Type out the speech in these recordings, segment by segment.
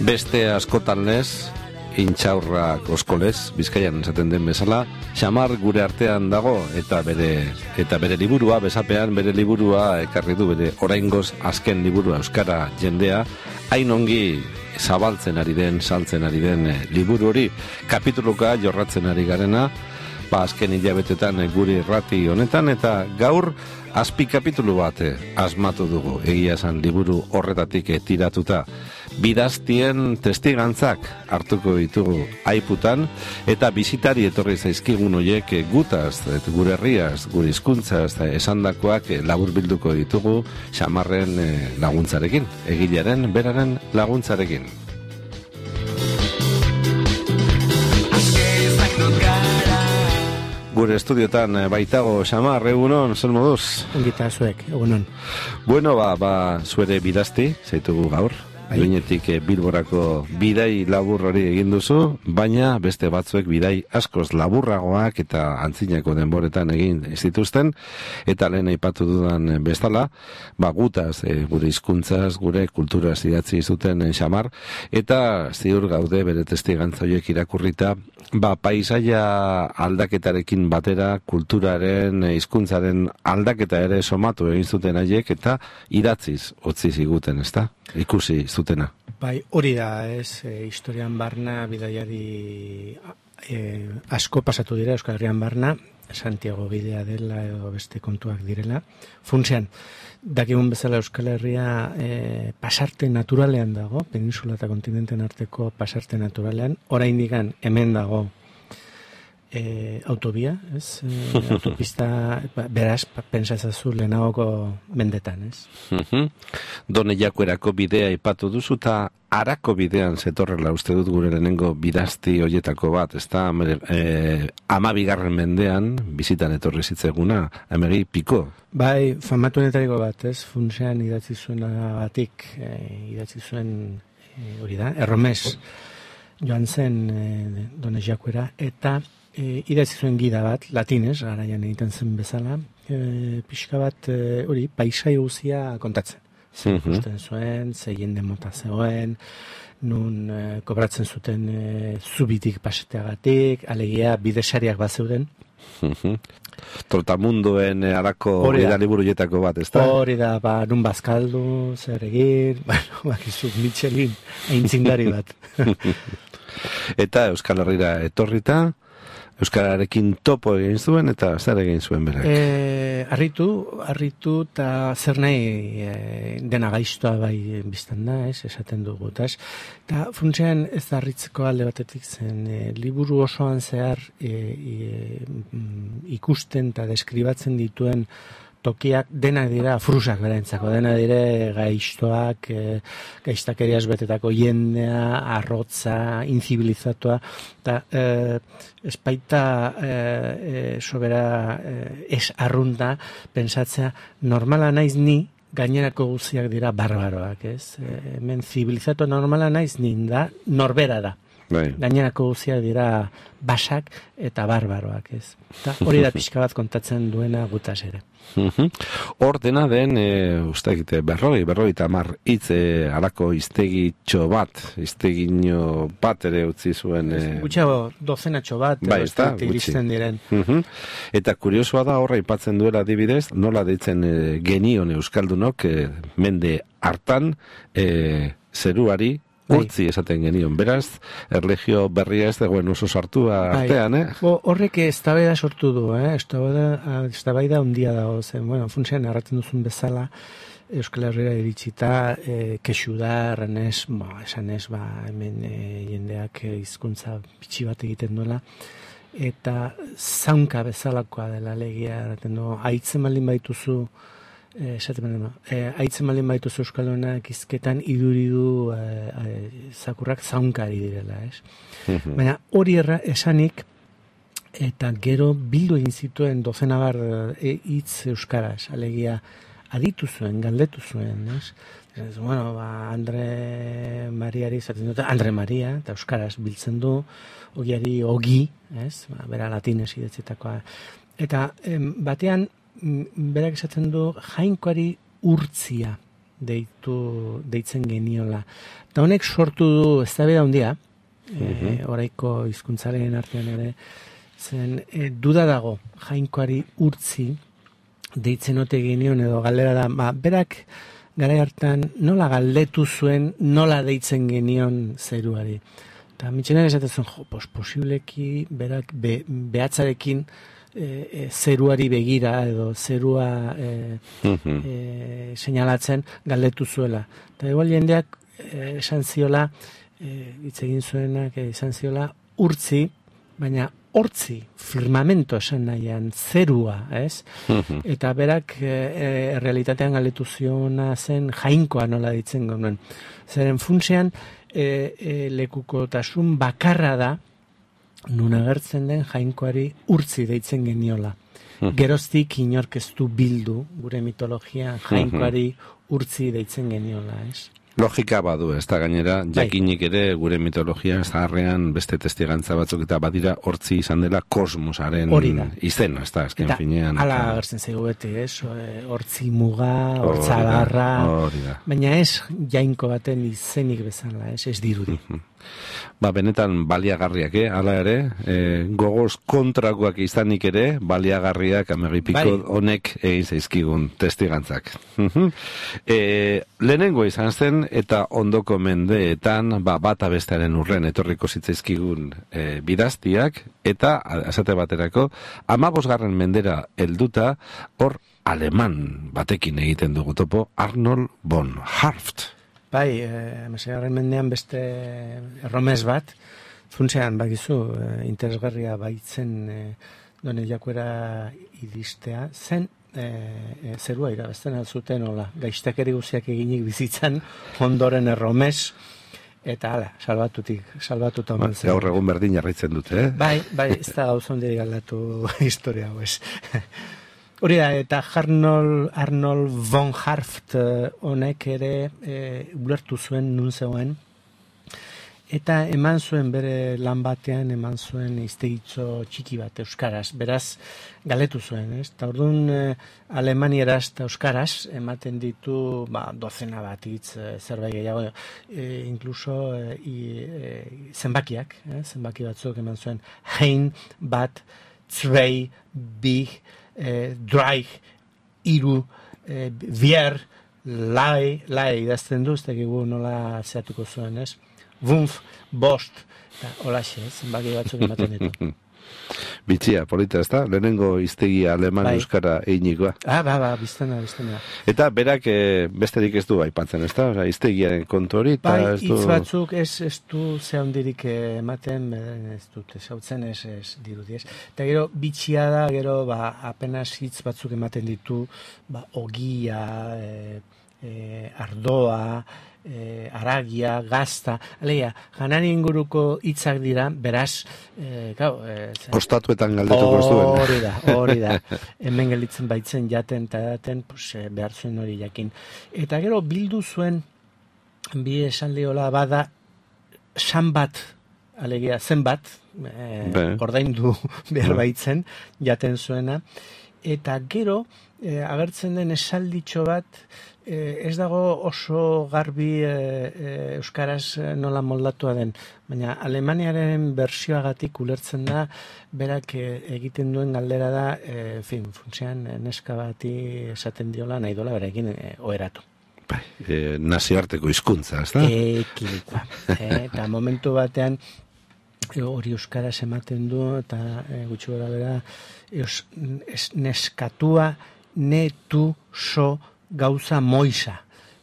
Beste askotan lez, intxaurrak oskolez, Bizkaian esaten den bezala, xamar gure artean dago eta bere liburua, besapean bere liburua ekarri du, bere oraingoz azken liburua euskara jendea, hain ongi zabaltzen ari den, saltzen ari den liburu hori, kapituluka jorratzen ari garena, azken hilabetetan guri irrati honetan, eta gaur azpi kapitulu bat asmatu dugu, egia esan liburu horretatik tiratuta. Bidaztien testigantzak hartuko ditugu aiputan, eta bizitari etorri zaizkigun horiek gutaz, gure herriaz, gure hizkuntzaz esandakoak laburbilduko ditugu xamarren laguntzarekin, egilearen beraren laguntzarekin. Gure estudiotan baitago xamar, egunon, zel moduz? Ongita zuek, egunon. Bueno, zuere bidazti, zaitugu gaur. Duenetik Bilborako bidai labur hori egin duzu, baina beste batzuek bidai askoz laburragoak eta antzinako denboretan egin zituzten, eta lehen aipatu dudan bezala, gutaz, gure hizkuntzaz, gure kulturaz idatzi zuten xamar, eta ziur gaude bere testigantza horiek irakurrita, paisaia aldaketarekin batera, kulturaren, hizkuntzaren aldaketa ere somatu egin zuten haiek, eta idatziz utzi ziguten, ezta? Ikusi zutena. Hori da, historian barna, bidaiari asko pasatu dira Euskal Herrian barna, Santiago bidea dela edo beste kontuak direla. Funtsean, dakigun bezala Euskal Herria pasarte naturalean dago, peninsula eta kontinenten arteko pasarte naturalean, oraindik hemen dago autobia, autopista, beraz, pensatzazu lehenagoko mendetan, Done Jakuerako bidea ipatu duzu, eta Arako bidean zetorrela uste dut gure lehenengo bidazti hoietako bat, ezta 12. mendean bizitan etorri zitzeguna, amegi piko. Famatu netariko bat, funtsean idatzi zuenagatik, idatzi zuen hori da, erromes joan zen Done Jakuera, eta idatzi zuen gida bat, latinez, garaian egiten zen bezala, pixka bat hori, paisai guzia kontatzen. Ikusten zuen, ze jende mota zegoen, nun kobratzen zuten zubitik paseteagatik, alegia bidesariak bat zeuden. Trotamundoen Arako liburu-jetako bat, ezta? Hori da, nun bazkaldu, zer egin, bakizuk Michelin, aintzindari bat. Eta Euskal Herrira etorrita, Euskararekin topo egin zuen, eta zer egin zuen berak? Harritu eta zer nahi dena gaiztoa bai biztan da, esaten dugu. Eta funtsean ez da harritzeko alde batetik zen, liburu osoan zehar ikusten eta deskribatzen dituen tokiak denak dira frusak berentzako, denak dire gaiztoak, gaiztakeriaz betetako jendea, arrotza, inzibilizatua, eta espaita sobera ez arrunda pensatzea normala naiz ni, gainerako guztiak dira barbaroak, hemen zibilizatua normala naiz ni da, norbera da. Gainerako guztiak dira basak eta barbaroak, Eta hori da pixka bat kontatzen duena gutaz ere. Hor dena den, berroi eta 10 hitz Arako hiztegitxo bat ere utzi zuen. Gutxago, dozenatxo bat, iristen diren. Eta kuriosoa da horra aipatzen duela adibidez, nola deitzen genion euskaldunok, mende hartan, zeruari, urtzi esaten genion, beraz, erlegio berria ez dagoen oso sartua artean, Horrek eztabaida sortu du, eztabaida handia dago zen, funtsean erraten duzun bezala, Euskal Herriera iritsita, kexu da, esan ez, hemen jendeak hizkuntza bitxi bat egiten duela, eta zaunka bezalakoa dela legia, erraten du, haitzen baldin baituzu, haitzen baldin baituzu Euskaldunak hizketan iduridu zakurrak zaunkari direla, Baina hori esanik, eta gero bildu egin zituen dozenabar hitz euskaraz, alegia aditu zuen, galdetu zuen, Andre Mariari zaten dute, Andre Maria, eta euskaraz biltzen du, ogiari ogi, bera latinez idatzitakoa. Eta batean, berak esaten du jainkoari urtzia deitzen geniola. Eta honek sortu du eztabaida handia, oraiko hizkuntzaren artean ere, zen duda dago Jainkoari urtzi deitzen ote genion edo galdera da, berak garai hartan nola galdetu zuen, nola deitzen genion zeruari. Eta mitxenak esaten posibleki berak behatzarekin zeruari begira edo zerua seinalatzen galdetu zuela. Eta igual jendeak esan ziola, hitz egin zuenak esan ziola, urtzi, baina hortzi, firmamento esan nahian, zerua, ez? Eta berak realitatean galdetu ziona zen Jainkoa nola ditzen genuen. Zeren funtsean lekukotasun bakarra da nun agertzen den Jainkoari urtzi deitzen geniola. Geroztik inork ez du bildu gure mitologian Jainkoari urtzi deitzen geniola, ez? Logika badu, ez da gainera, jakinik ere gure mitologia zaharrean beste testigantza batzuk eta badira hortzi izan dela kosmosaren izena, ez da, azken finean. Hala agertzen zaigu beti, ez? Hortzi muga, hortzagarra, baina ez Jainko baten izenik bezala, ez dirudi. Benetan baliagarriak, hala ere, gogoz kontrakoak izanik ere, baliagarriak amegipiko honek egin zaizkigun testigantzak. Lehenengo izan zen, eta ondoko mendeetan, bata bestearen urren etorriko zitzaizkigun bidaztiak, eta, esate baterako, 15. mendera helduta, hor aleman batekin egiten dugu topo, Arnold von Harft. Bai, 16. mendean beste erromes bat, funtsean bakizu, interesgarria baitzen Done Jakuera iristea, zen zerua irabazten alzuten, gaiztakeri guziak eginik bizitzan, ondoren erromes, eta hala, salbatuta omen zen. Gaur egun berdin jarraitzen dute, Bai, ez da gauza ondirik aldatu historia, Hori da, eta Arnold von Harft honek ere ulertu zuen nun zegoen, eta eman zuen bere lan batean, eman zuen hiztegitzo txiki bat euskaraz, beraz galetu zuen, ez? Eta orduan alemanieraz eta euskaraz ematen ditu dozena bat hitz, zerbait gehiago, inkluso zenbakiak, zenbaki batzuk eman zuen, hein, bat, zwei, bi, Dreich, iru, vier, lai idazten du, ez dakigu nola zehatuko zuen, ez? Wunf, bost, eta holaxe, zenbaki batzuk ematen ditu. Bitxia, polita, ez da? Lehenengo hiztegia aleman euskara einikoa. Biztena. Eta berak besterik ez du aipatzen, ez da? Hiztegiaren kontu hori. Hitz batzuk ez du zehondirik ematen, ez dut, ezautzen ez dirudi, ez. Eta gero, bitxia da, gero, apenas hitz batzuk ematen ditu, ogia, ardoa, aragia, gazta, alegia, janari inguruko hitzak dira, beraz, ostatuetan galdetuko zuen. Hori da. Hemen gelditzen baitzen jaten eta daten, behar zuen hori jakin. Eta gero bildu zuen, bi esaldiola bada, san bat, alegia, zenbat, ordaindu behar baitzen, jaten zuena, eta gero, agertzen den esalditxo bat, ez dago oso garbi euskaraz nola moldatua den, baina Alemaniaren bersioagatik ulertzen da, berak egiten duen galdera da, funtsean neska bati esaten diola nahi dola berarekin oheratu. Nazioarteko hizkuntza, ez da? Ekilikoa. Eta momentu batean, hori euskaraz ematen du, eta gutxi gora bera, neskatua netu so gauza moisa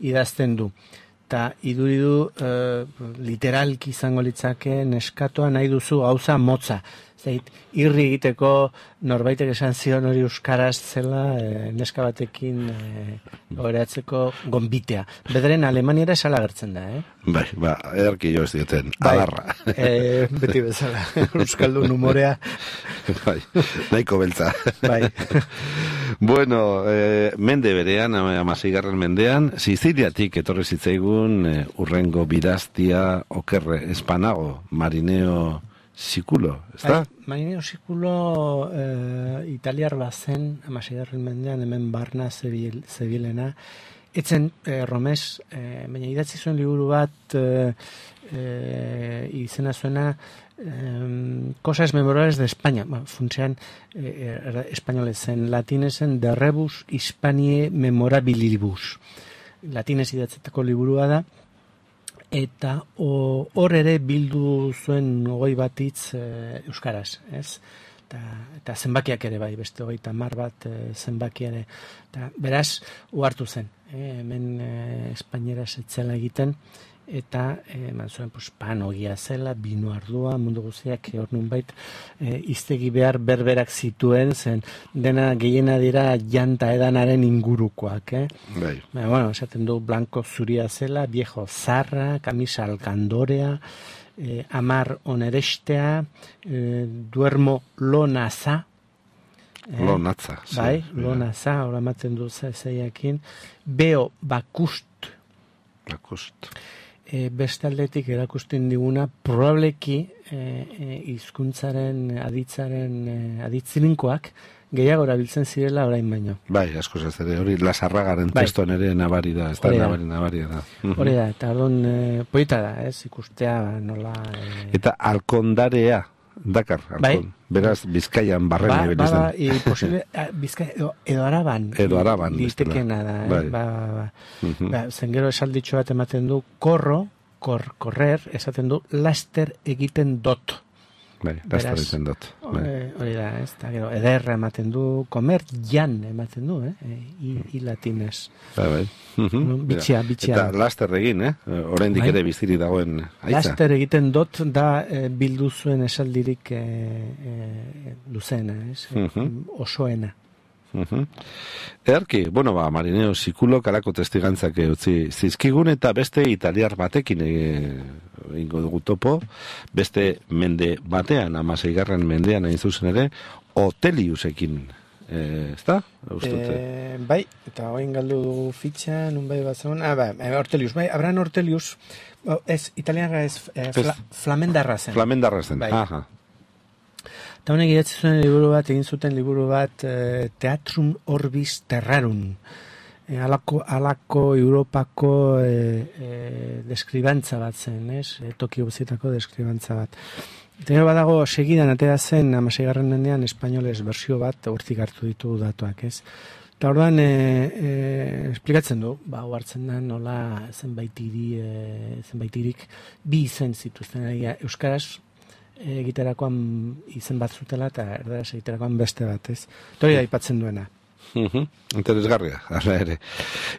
idazten du. Eta iduridu literalki izango litzake neskatoa nahi duzu gauza motza. Zait, irri egiteko norbaitek esan zion hori euskaraz zela neska batekin oheratzeko gonbitea. Bederen Alemaniera esala gertzen da, Bai, ederki jo ez dioten, adarra. Beti bezala, euskaldun humorea. Bai, nahiko beltza. Bai. Bueno, mende berean, 16. mendean, Siziliatik etorri zitzaigun urrengo bidaztia okerre espanago, Marineo Sikulo, ez da? Marineo Sikulo italiar bazen, 16. mendean, hemen Barna zebilena, Etzen Romes, baina idatzi zuen liburu bat izena zuena Cosas memorables de España. Funtsean espainolezen, latinezen De Rebus Hispaniae Memorabilibus. Latinez idatzetako liburua da. Eta hor ere bildu zuen 21 hitz euskaraz, ez? Eta zenbakiak ere bai, beste 30 bat zenbaki ere. Eta beraz, uhartu zen, hemen espainieraz etzela egiten, eta eman zuen panogia zela, bino ardua, mundu guztiak hor nunbait hiztegi behar berberak zituen, zen dena gehiena dira janta edanaren ingurukoak, Bai. Bueno, esaten du blanco zuria zela, viejo zarra, camisa alkandorea, amar onerestea, duermo lonaza, Lonatza. bai, lonaza, hor amaten du zeiakin, beo bakust, beste aldetik erakusten diguna, probableki hizkuntzaren aditzilinkoak gehiago erabiltzen zirela orain baino. Bai, asko ez ere, hori Lasarragaren testoan ere nabari da, ez da nabari da. Hori da, eta orduan poeta da, ez, ikustea nola... Eta alkondarea, dakar, alkon. Beraz, Bizkaian barren ebilizten. Posible, Bizkaia, edo Araban. Edo Araban. Litekena da, zen gero esalditxo bat ematen du, korrer, esaten du, laster egiten dot. Bai, laster egiten dot. Hori da, ez, eta gero, ederra ematen du, comer jan ematen du, i latinez. Bai. Bitxia. Eta laster egin, oraindik ere biziri dagoen aitza. Laster egiten dot da bildu zuen esaldirik luzena, osoena. Earki, Marineo Sikulo kalako testigantzak utzi zizkigun eta beste italiar batekin ingo dugu topo, beste mende batean, 16. mendean hain zuzen ere, Oteliusekin, ezta? Bai, eta hoin galdu dugu fitxa, nun bai bat zegoen, Ortelius, bai, Abraham Ortelius, ez, italiarra ez, flamendarra zen. Flamendarra zen, aha. Eta honek idatzi zuen liburu bat, egin zuten liburu bat, Teatrum Orbis Terrarum. Alako Europako deskribantza bat zen, ez? Tokio guztietako deskribantza bat. Eta badago, segidan atera zen, 16. mendean, espainoles bersio bat, hortik hartu ditugu datuak, ez? Eta orduan, esplikatzen du, hartzen da, nola zenbaitirik bi izen zituzten, euskaraz, egiterakoan izen bat zutela eta erdaraz egiterakoan beste bat, ez? Tori da aipatzen duena. Interesgarria, ala ere.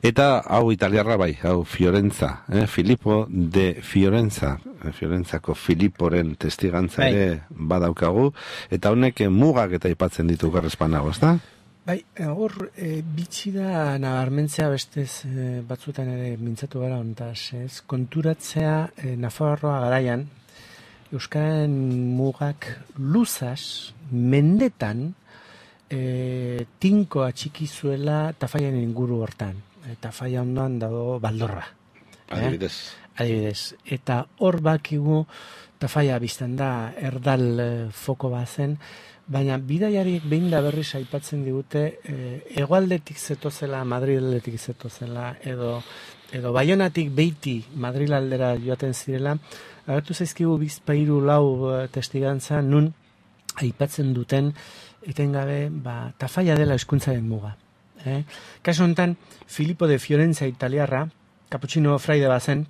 Eta hau italiarra bai, hau Fiorenza, Filippo de Fiorenza, Fiorenzako Filiporen testigantza ere badaukagu, eta honek mugak eta aipatzen ditu garrespanago, ezta? Bai, hor bitxi da nabarmentzea bestez batzuetan ere mintzatu gara hontaz, ez? Konturatzea Nafarroa garaian, Euskararen mugak luzaz, mendetan, tinko atxiki zuela Tafaian inguru hortan. Tafaia ondoan dago Baldorra. Adibidez. Eta hor bakigu Tafaia biztan da erdal foko bazen, baina bidaiariek behin da berriz aipatzen digute hegoaldetik zetozela, Madriletik zetozela, edo Baionatik beiti Madrilaldera joaten zirela, agertu zaizkigu bizpairu lau testigantza nun aipatzen duten etengabe Tafaia dela hizkuntzaren muga. Kasu honetan, Filippo de Fiorenza italiarra, Cappuccino fraide bazen,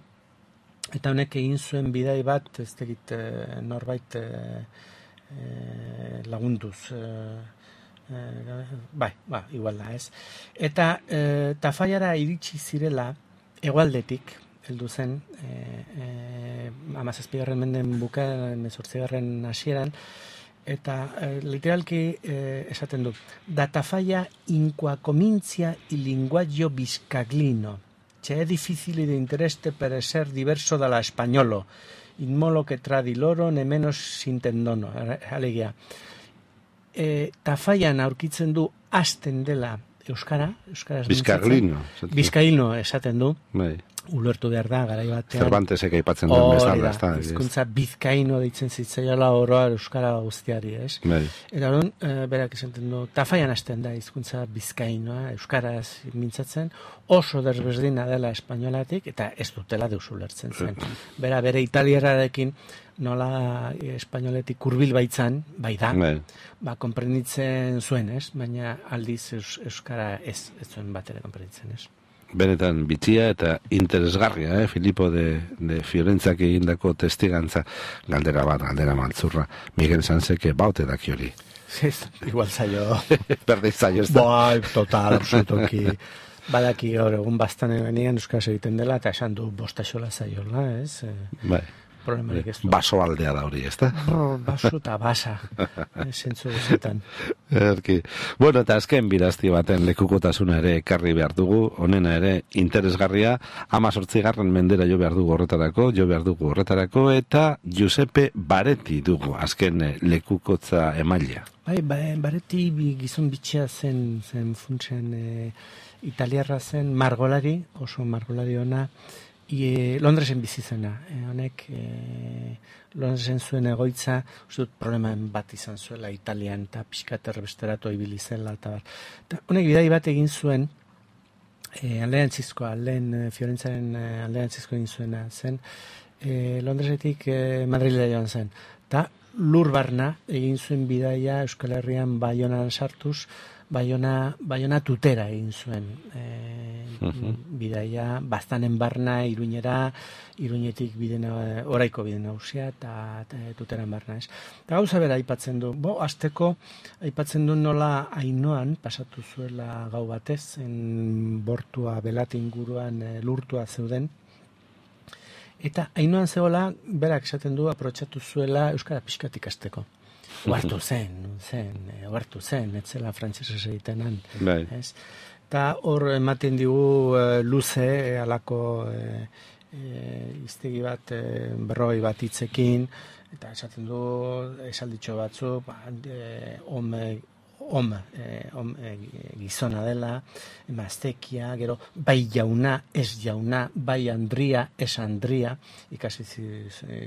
eta honek egin zuen bidai bat, ez tegit norbait lagunduz. Igual da, ez. Eta Tafaiara iritsi zirela, hegoaldetik, heldu zen, 17. menden bukaeran, 18. hasieran, eta literalki esaten du, da Tafaia incoacomincia il linguaggio biscaglino, c'è difficile di interesse per essere diverso dalla spagnolo, in modo che tra di loro nemmeno s'intendono, alegia. Tafaian aurkitzen du hasten dela euskaraz. Bizkaglino. Bizkaglino esaten du. Bai. ulertu behar da, garai batean. Cervantesek aipatzen duen bezala, ez da? Hizkuntza bizkaino deitzen zitzaiola oroa euskara guztiari, ez? Bai. Eta orduan, berak esaten du, tafaian hasten da hizkuntza bizkainoa, euskaraz mintzatzen, oso desberdina dela espainolatik, eta ez dutela deus ulertzen zen. Bere italierarekin nola espainoletik hurbil baitzan, bai da, konprenditzen zuen, ez? Baina aldiz euskara ez zuen bat ere konprenditzen, ez? Benetan bitxia eta interesgarria, Filipo de Fiorentzak egindako testigantza, galdera maltzurra. Miguel Sanseke baute daki hori. Igual zailo. Berdeiz zailo, ez da? Bai, total, absolutoki. Badaki gaur egun bastan eganean euskaraz egiten dela, eta esan du bostaxola zaiola, ez? Bai. Baso aldea da hori, ez da? Baso eta basa, zentzu guzetan. Bueno, eta azken birazti baten lekukotasuna ere ekarri behar dugu, honena ere interesgarria, 18. mendera jo behar dugu horretarako, eta Giuseppe Baretti dugu, azken lekukotza emailea. Bai, Baretti gizon bitxea zen funtsen italiarra zen margolari, oso margolari ona, Londresen bizi zena, honek Londresen zuen egoitza, ustut problemen bat izan zuela Italian eta pixkat erbesteratu ibili zela eta bar. Honek bidai bat egin zuen Fiorentzaren alderantzizko egin zuena zen, Londresetik Madrilera joan zen. Eta lur barna egin zuen bidaia Euskal Herrian Baionan sartuz, Baiona tutera egin zuen bidaia, bastanen barna Iruñera, Iruñetik oraiko bide nagusia eta tuteran barna, ez. Eta gauza bera aipatzen du, azteko aipatzen du nola Ainoan pasatu zuela gau batez, bortua Belate inguruan lurtua zeuden, eta Ainoan zegoela, berak esaten du, aprotxatu zuela euskara pixkatik azteko. Oartu zen, etzela frantsesez egitenan. Eta hor ematen digu luze, alako iztegi bat, berroi bat hitzekin, eta esaten du esalditxo batzuk, gizona dela, emaztekia, gero bai jauna, ez jauna, bai Andria, ez Andria, ikasi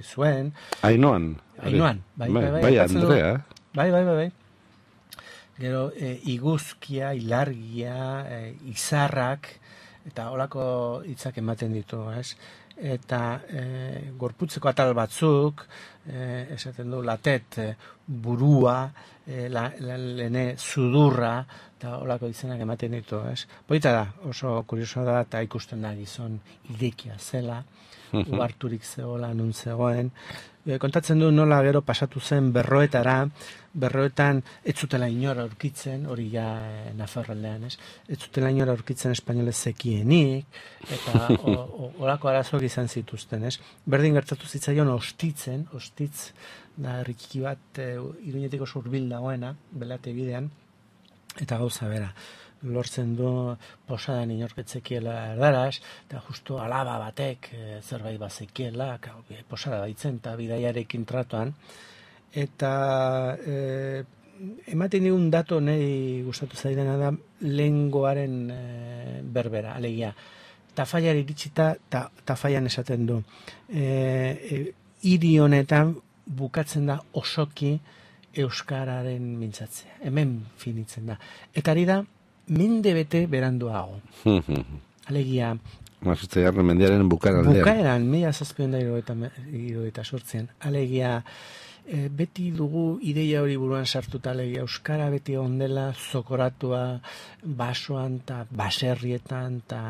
zuen. Ainoan, bai Andrea. Bai. Gero iguzkia, ilargia, izarrak, eta holako hitzak ematen ditu, ez? Eta gorputzeko atal batzuk, esaten du latet, burua, lene sudurra, eta holako izenak ematen ditu, ez? Polita da, oso kuriosoa da, eta ikusten da gizon idekia zela, uharturik zegoela, nun zegoen. Kontatzen du nola gero pasatu zen berroetan ez zutela inora aurkitzen, hori ja Nafarroaldean, ez? Ez zutela inora aurkitzen espainolez zekienik, eta horako arazoak izan zituzten, ez? Berdin gertatu zitzaion ostitz da herriki bat Iruñetik oso hurbil dagoena, Belate bidean, eta gauza bera. Lortzen du posadan inorketzekiela erdaraz, eta justu alaba batek zerbait bazekiela, posada baitzen eta bidaiarekin tratuan, eta ematen digun dato nahi gustatu zaidana da lengoaren berbera, alegia. Tafaiari iritsita, Tafaian esaten du. Hiri honetan bukatzen da osoki euskararen mintzatzea. Hemen finitzen da. Eta ari da, mende bete beranduago. Alegia... Mazutzegarren mendiaren bukaeran. Bukaeran, 1778an. Alegia, beti dugu ideia hori buruan sartuta, alegia, euskara beti ondela zokoratua basoan eta baserrietan eta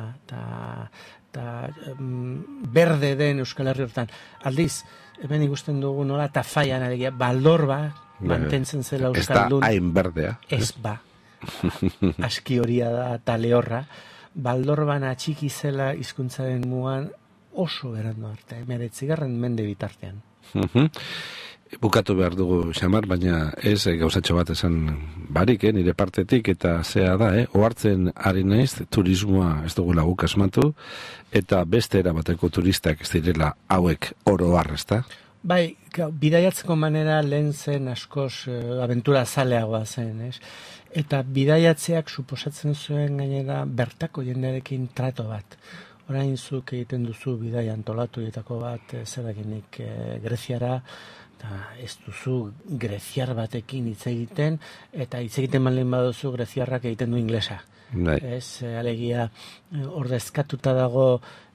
berde den Euskal Herri hortan. Aldiz, hemen ikusten dugu nola Tafaian, alegia, baldorba mantentzen zela euskaldun. Ez da hain berdea. Ez ba. Aski horia da eta lehorra, baldorban atxiki zela hizkuntzaren mugan oso berandu arte, 19. mende bitartean. Bukatu behar dugu, Xamar, baina ez gauzatxo bat esan barik, nire partetik, eta zea da, ohartzen ari naiz, turismoa ez dugula guk asmatu, eta beste erabateko turistak ez direla hauek oro har, ezta? Bai, bidaiatzeko manera lehen zen askoz abentura zaleagoa zen, ez? Eta bidaiatzeak suposatzen zuen gainera bertako jendearekin trato bat. orain zuk egiten duzu bidai antolatuetako bat, zeraginik Greziara, eta ez duzu greziar batekin hitz egiten, eta hitz egiten baldin baduzu greziarrak egiten du inglesa. Ez, alegia, ordezkatuta dago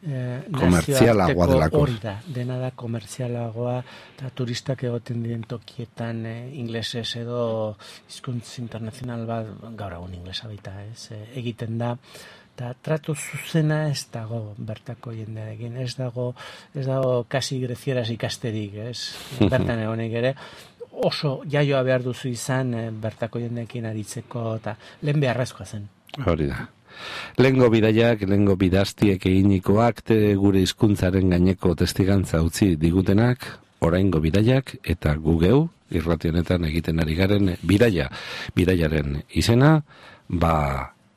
nazioarteko hori da, dena da komertzialagoa, eta turistak egoten diren tokietan inglesez edo hizkuntz internazional bat, gaur egun inglesa baita, ez, egiten da, eta tratu zuzena ez dago bertako jendearekin, ez dago kasi grezieraz ikasterik, ez, bertan egonek ere, oso jaioa behar duzu izan bertako jendeekin aritzeko, eta lehen beharrezkoa zen. Hori da. Lehengo bidaiak, lehengo bidaztiek eginikoak gure hizkuntzaren gaineko testigantza utzi digutenak, oraingo bidaiak eta gu geu irrati honetan egiten ari garen bidaiaren izena,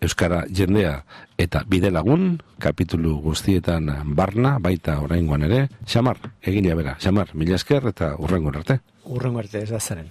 euskara jendea eta bidelagun kapitulu guztietan barna, baita oraingoan ere, Xamar, egilea bera. Xamar, mila esker eta hurrengo arte. Hurrengo arte, ez da zaren.